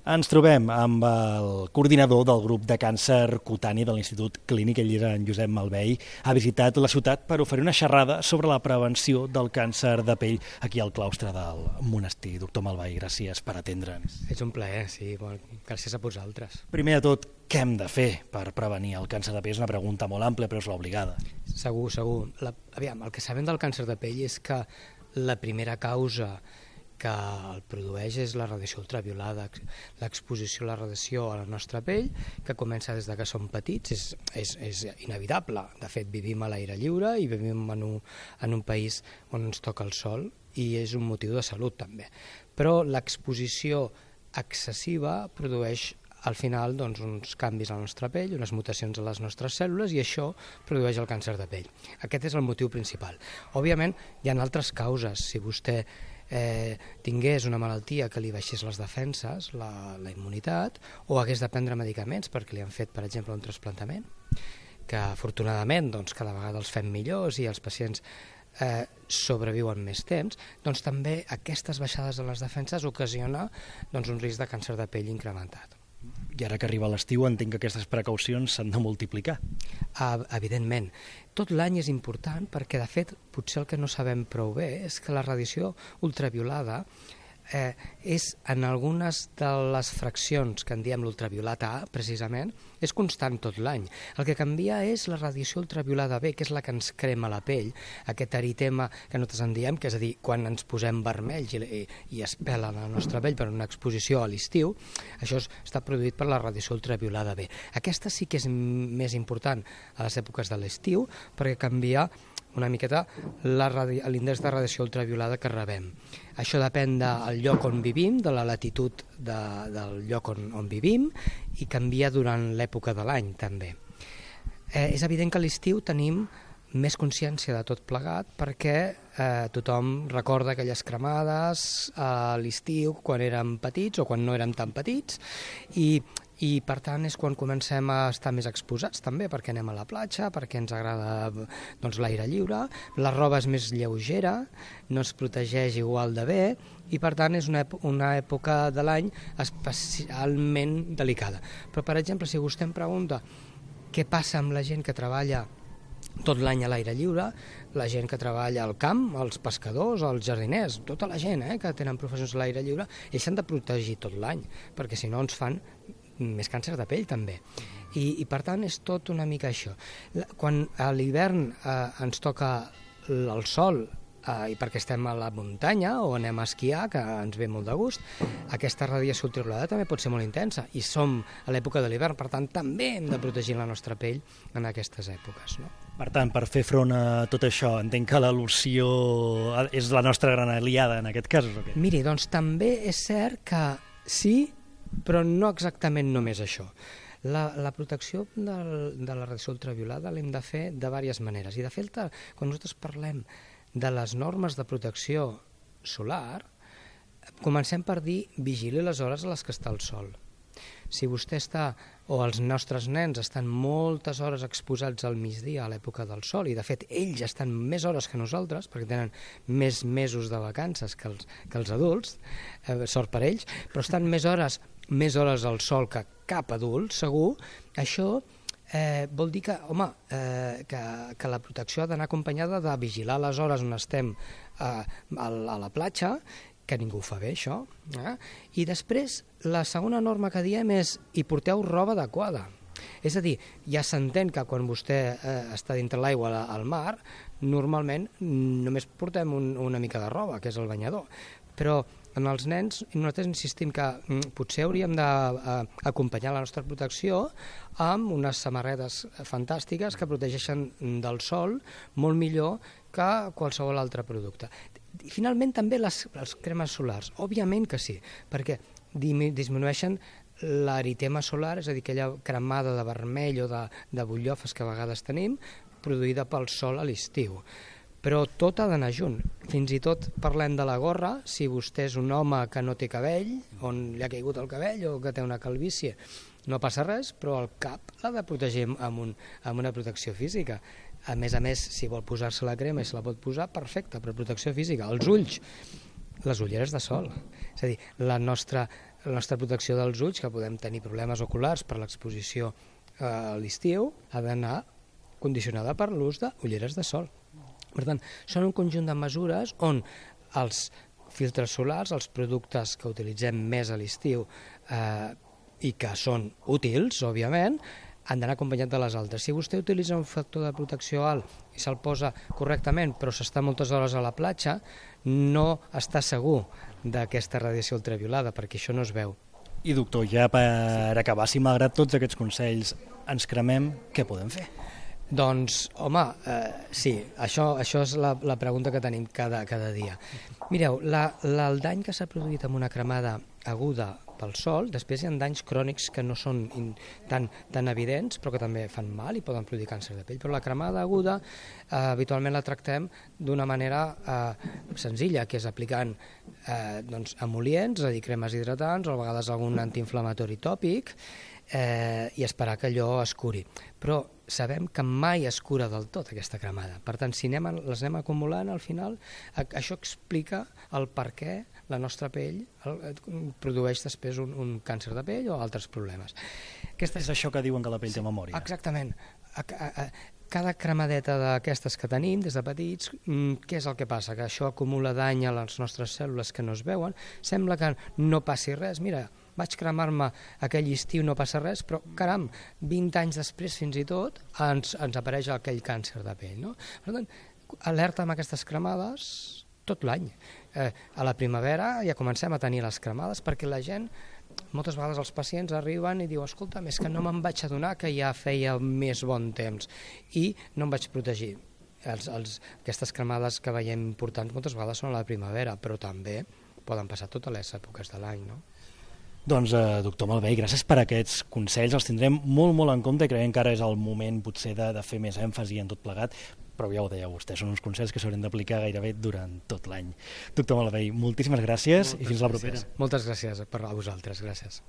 Ens trobem amb el coordinador del grup de càncer cutani de l'Institut Clínic, ell era en Josep Malvei. Ha visitat la ciutat per oferir una xerrada sobre la prevenció del càncer de pell aquí al claustre del monestir. Doctor Malvei, gràcies per atendre'ns. És un plaer, sí. Gràcies a vosaltres. Primer de tot, què hem de fer per prevenir el càncer de pell? És una pregunta molt àmplia, però és l'obligada. Segur. El que sabem del càncer de pell és que la primera causa que el produeix és la radiació ultraviolada, l'exposició a la radiació a la nostra pell, que comença des que som petits, és inevitable. De fet, vivim a l'aire lliure i vivim en un país on ens toca el sol i és un motiu de salut també. Però l'exposició excessiva produeix al final uns canvis a la nostra pell, unes mutacions a les nostres cèl·lules i això produeix el càncer de pell. Aquest és el motiu principal. Òbviament hi ha altres causes. Si vostè tingués una malaltia que li baixés les defenses, la immunitat, o hagués de prendre medicaments perquè li han fet, per exemple, un trasplantament, que afortunadament cada vegada els fem millors i els pacients sobreviuen més temps, doncs també aquestes baixades de les defenses ocasiona un risc de càncer de pell incrementat. I ara que arriba l'estiu entenc que aquestes precaucions s'han de multiplicar. Evidentment. Tot l'any és important perquè, de fet, potser el que no sabem prou bé és que la radiació ultraviolada és en algunes de les fraccions que en diem l'ultraviolata A, precisament, és constant tot l'any. El que canvia és la radiació ultraviolada B, que és la que ens crema la pell, aquest eritema que nosaltres en diem, que és a dir, quan ens posem vermells i es pela la nostra pell per una exposició a l'estiu, això està produït per la radiació ultraviolada B. Aquesta sí que és més important a les èpoques de l'estiu perquè canvia una miqueta l'índex de radiació ultraviolada que rebem. Això depèn del lloc on vivim, de la latitud del lloc on vivim i canvia durant l'època de l'any també. És evident que a l'estiu tenim més consciència de tot plegat perquè tothom recorda aquelles cremades a l'estiu quan érem petits o quan no érem tan petits i per tant és quan comencem a estar més exposats també perquè anem a la platja, perquè ens agrada l'aire lliure, la roba és més lleugera, no es protegeix igual de bé i per tant és una època de l'any especialment delicada. Però per exemple, si vostè em pregunta què passa amb la gent que treballa tot l'any a l'aire lliure, la gent que treballa al camp, els pescadors, els jardiners, tota la gent que tenen professions a l'aire lliure, ells s'han de protegir tot l'any, perquè si no ens fan més càncer de pell també. I per tant és tot una mica això. Quan a l'hivern ens toca el sol i perquè estem a la muntanya o anem a esquiar, que ens ve molt de gust, aquesta radiació ultraviolada també pot ser molt intensa i som a l'època de l'hivern, per tant també hem de protegir la nostra pell en aquestes èpoques, no? Per tant, per fer front a tot això, entenc que la loció és la nostra gran aliada en aquest cas, o què? Miri, doncs també és cert que sí, però no exactament només això. La protecció de la radiació ultraviolada l'hem de fer de diverses maneres. I de fet, quan nosaltres parlem de les normes de protecció solar, comencem per dir vigili les hores a les que està el sol. Si vostè està, o els nostres nens estan moltes hores exposats al migdia a l'època del sol, i de fet ells estan més hores que nosaltres, perquè tenen més mesos de vacances que els adults, sort per ells, però estan més hores al sol que cap adult, segur, això vol dir que, que la protecció ha d'anar acompanyada de vigilar les hores on estem a la platja, que ningú ho fa bé, això. I després, la segona norma que diem és hi porteu roba adequada. És a dir, ja s'entén que quan vostè està dintre l'aigua al mar, normalment només portem una mica de roba, que és el banyador. Però en els nens nosaltres insistim que potser hauríem d'acompanyar la nostra protecció amb unes samarretes fantàstiques que protegeixen del sol molt millor que qualsevol altre producte. I finalment també les cremes solars, òbviament que sí, perquè disminueixen l'eritema solar, és a dir, aquella cremada de vermell o de butllofes que a vegades tenim, produïda pel sol a l'estiu. Però tot ha d'anar junt. Fins i tot parlem de la gorra, si vostè és un home que no té cabell, on li ha caigut el cabell o que té una calvície, no passa res, però el cap l'ha de protegir amb una protecció física. A més, si vol posar-se la crema i se la pot posar, perfecte, per protecció física. Els ulls, les ulleres de sol. És a dir, la nostra la nostra protecció dels ulls, que podem tenir problemes oculars per l'exposició a l'estiu, ha d'anar condicionada per l'ús d'ulleres de sol. Per tant, són un conjunt de mesures on els filtres solars, els productes que utilitzem més a l'estiu i que són útils, òbviament, han d'anar acompanyat de les altres. Si vostè utilitza un factor de protecció alt i se'l posa correctament, però s'està moltes hores a la platja, no està segur d'aquesta radiació ultraviolada, perquè això no es veu. I doctor, ja per acabar, si malgrat tots aquests consells ens cremem, què podem fer? Doncs, home, sí, això és la pregunta que tenim cada dia. Mireu, el dany que s'ha produït amb una cremada aguda pel sol, després hi ha danys crònics que no són tan evidents, però que també fan mal i poden produir càncer de pell. Però la cremada aguda habitualment la tractem d'una manera senzilla, que és aplicant emol·lients, és a dir, cremes hidratants o a vegades algun antiinflamatori tòpic, i esperar que allò es curi. Però sabem que mai es cura del tot aquesta cremada. Per tant, si les anem acumulant, al final això explica el per què la nostra pell produeix després un càncer de pell o altres problemes. És això que diuen que la pell té memòria. Exactament. Cada cremadeta d'aquestes que tenim des de petits, què és el que passa? Que això acumula dany a les nostres cèl·lules que no es veuen, sembla que no passi res, mira, vaig cremar-me aquell estiu, no passa res, però caram, 20 anys després fins i tot ens apareix aquell càncer de pell, no? Per tant, alerta amb aquestes cremades tot l'any. A la primavera ja comencem a tenir les cremades perquè la gent, moltes vegades els pacients arriben i diuen, escolta, és que no me'n vaig adonar que ja feia més bon temps i no em vaig protegir. Aquestes cremades que veiem importants moltes vegades són a la primavera, però també poden passar totes les èpoques de l'any, no? Doncs, doctor Malvehí, gràcies per aquests consells, els tindrem molt, molt en compte i creiem que ara és el moment potser de fer més èmfasi en tot plegat, però ja ho deia vostè, són uns consells que s'haurien d'aplicar gairebé durant tot l'any. Doctor Malvehí, moltíssimes gràcies i fins la propera. Moltes gràcies per a vosaltres, gràcies.